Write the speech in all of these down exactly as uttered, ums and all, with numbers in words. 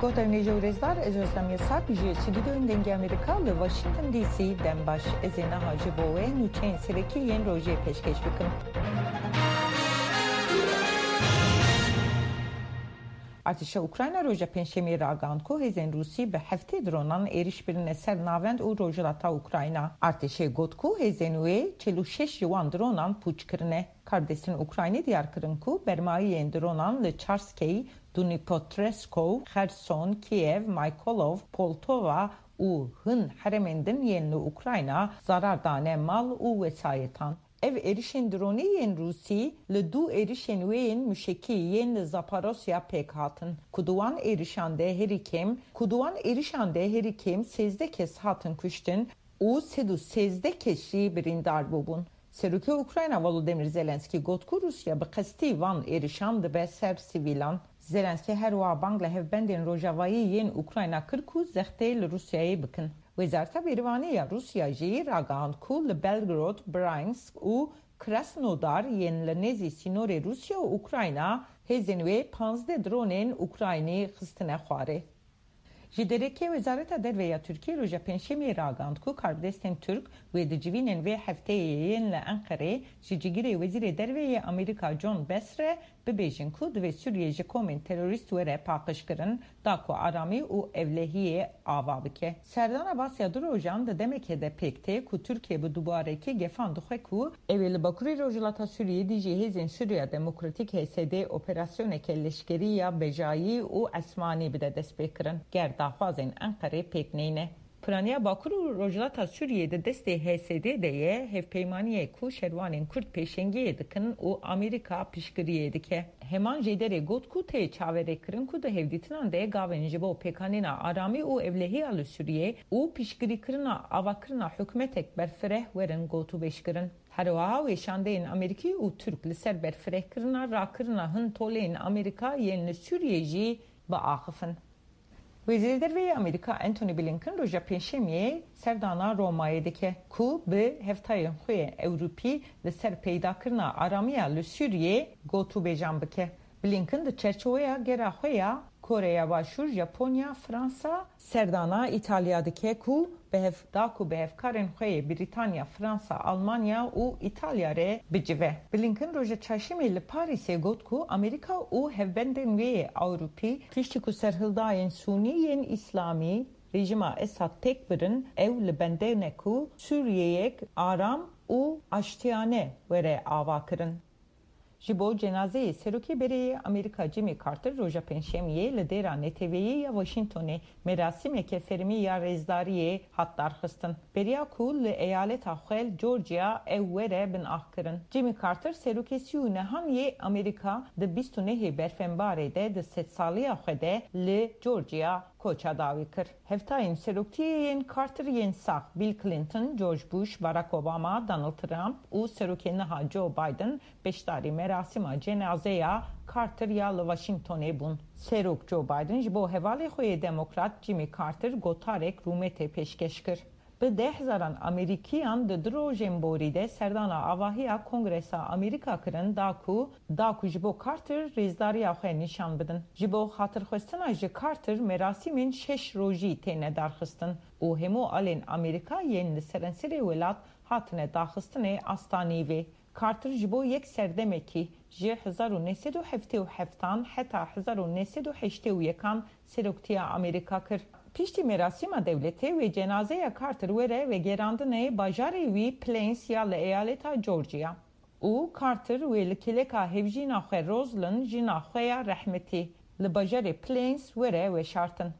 Guhdarên hêja û rêzdar, ez Özlem Yasak ji stûdyoyên Dengê Amerîka li Washington D C dem baş. Ez ê niha ji bo we nûçeyên serekî yên rojê pêşkêş bikim. Artêşa Ukrayna roja Pêncşemiyê ragihand ku hêzên Rûsî bi heftê dronan êrîş birine ser navend û rojhilata Ukrayna. Artêşê got ku hêzên wê çil û şeş ji wan dronan pûç kirine. Karbidestên Ukraynî diyar kirin ku bermayiyên dronan li Çarskey, Dnipropetrovsk, Xerson, Kiev, Mykolaiv, Poltava û hin herêmên din yên li Ukrayna zarar dane mal û wesayetan. Ev êrişên dronî yên Rûsî li dû êrişên wê yên muşekî yên li Zaporosya pêk hatin, ku di wan êrişan de herî kêm, ku di wan êrişan de herî kêm sêzdeh kes hatin kuştin û sed û sêzdeh kes jî birîndar bûbûn. Serokê Ukrayna Volodymyr Zelenskî got ku Rûsya bi qestî van êrişan dibe ser sivîlan. Zelenskî her wiha bang li hevbendên rojavayî yên Ukrayna kir ku zextê li Rûsyayê bikin. Wezareta Bêrivanî ya Rûsya jî ragihand ku li Belgorod, Bryansk û Krasnodar yên li nêzî sînorê Rûsya û Ukrayna hêzên wê panzdeh dronên Ukraynî xistine xwarê. Ji derekê Wezareta Derve ya Tirkiyê roja Pêncşemiyê ragihand ku karbidestên Tirk wê di civînên vê hefteyê yên li Enqerê ji cîgirê Wezîrê Derve yê Amerîka John Bass re bibêjin ku divê Sûriye ji komên terorîst were paqijkirin, da ku aramî û ewlehiyê ava bike. Serdana Bass ya du rojan di demekê de pêk tê ku Tirkiye bi dubarekî gefan dixwe ku ew ê li bakurê rojhilata Sûriyê dijî hêzên Sûriya Demokratîk, H S D, operasyoneke leşkerî ya bejayî û esmanî bide destpêkirin, ger daxwazên Enqerê pêk neyne. Piraniya Bakur û Rojhilata Sûriyê di destê H S D de ye, hevpeymaniyek ku şervanên Kurd pêşengiyê dikin û Amerîka piştgiriyê dike. Heman jêderê got ku tê çaverêkirin ku di hevdîtinan de gavên ji bo pêkanîna aramî û ewlehiya li Sûriyê û piştgirîkirina avakirina hikûmetek berfireh werin gotûbêjkirin. Herwiha weşandeyên Amerîkî û Tirk li ser berfirehkirina rakirina hin toleyên Amerîka yên li Sûriyê jî biaxifin. Wezîrê Derve yê Amerîka Antony Blinken roja Pêncşemiyê serdana Romayê dike ku bi hevtayên xwe yê Ewropî li ser peydakirina aramiya li Sûriyê gotûbêjan bike. Blinken di çerçoveya gera xwe ya Koreya Başûr, Japonya, Fransa, serdana Îtalya dike ku bi hev da ku bi hevkarên xwe yê Brîtanya, Fransa, Almanya û Îtalya re bicive. Blinken roja Çarşemê li Parîsê got ku Amerîka û hevbendên wê yê Ewropî piştî ku serhildayên Sûnî yên Îslamî rejîma Esad têk birin, ew li bendê ne ku Sûriyeyek aram û aştiyane were avakirin. Ji bo cenazeyê Serokê Berê yê Amerîka Jimmy Carter roja Pêncşemiyê li dêra neteweyî ya Washingtonê merasîmeke fermî ya rêzdariyê hat darxistin. Beriya ku li eyaleta xwe li Georgia ew were binaxkirin. Jimmy Carter serokê sî û nehan yê Amerîka di bîst û nehê Berfenbarê de di sedsaliya xwe de li Georgia koça dawî kir. Hevtayên seroktiyê yên Carter yên sax, Bill Clinton, George Bush, Barack Obama, Donald Trump û serokê niha Joe Biden beşdarî merasîma cenazeya Carter ya li Washingtonê bûn. Serok Joe Biden ji bo hevalê xwe yê demokrat Jimmy Carter gotarek rûmetê pêşkêş kir. Bi deh hezaran Amerîkiyan di du rojên borî de serdana avahiya Kongresa Amerîka kirin, da ku, da ku ji bo Carter rêzdariya xwe nîşan bidin. Ji bo xatirxwestina ji Carter merasîmên şeş rojî têne darxistin û hemû alên Amerîka yên li serenserê welat hatine daxistinê asta nîvê. Carter ji bo yek serdemekî, ji hezar û neh sed û heftê û heftan heta hezar û neh sed û heştê û yekan seroktiya Amerîka kir. Piştî merasîma dewletê wê cenazeya Carter were vegerandinê bajarê wî Plains ya li eyaleta Georgia û Carter wê li kêleka hevjîna xwe Roslyn, jina xwe ya rehmetî, li bajarê Plains were weşartin.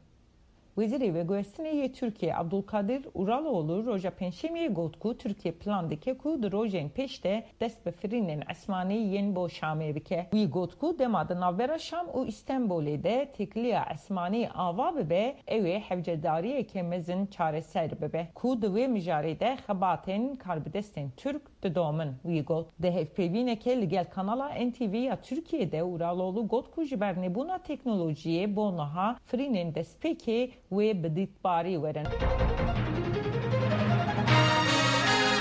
Wezîrê Veguhestinê yê Tirkiyê Abdulkadir Uraloğlu roja Pêncşemiyê got ku Tirkiye plan dike ku di rojên pêş de dest bi firînên esmanî yên bo Şamê bike. Wî got ku dema di navbera Şam û Îstenbolê de têkiliya esmanî ava bibe, ew ê hewcedariyeke mezin çareser bibe, ku di wê mijarê de xebatên karbidestên Tirk didomin, wî got. Di hevpeyvîneke li gel kanala N T V ya Tirkiyê de Uraloğlu got ku ji ber nebûna teknolojiyê bo niha firînên destpêkê wê bi dîtbarî werin.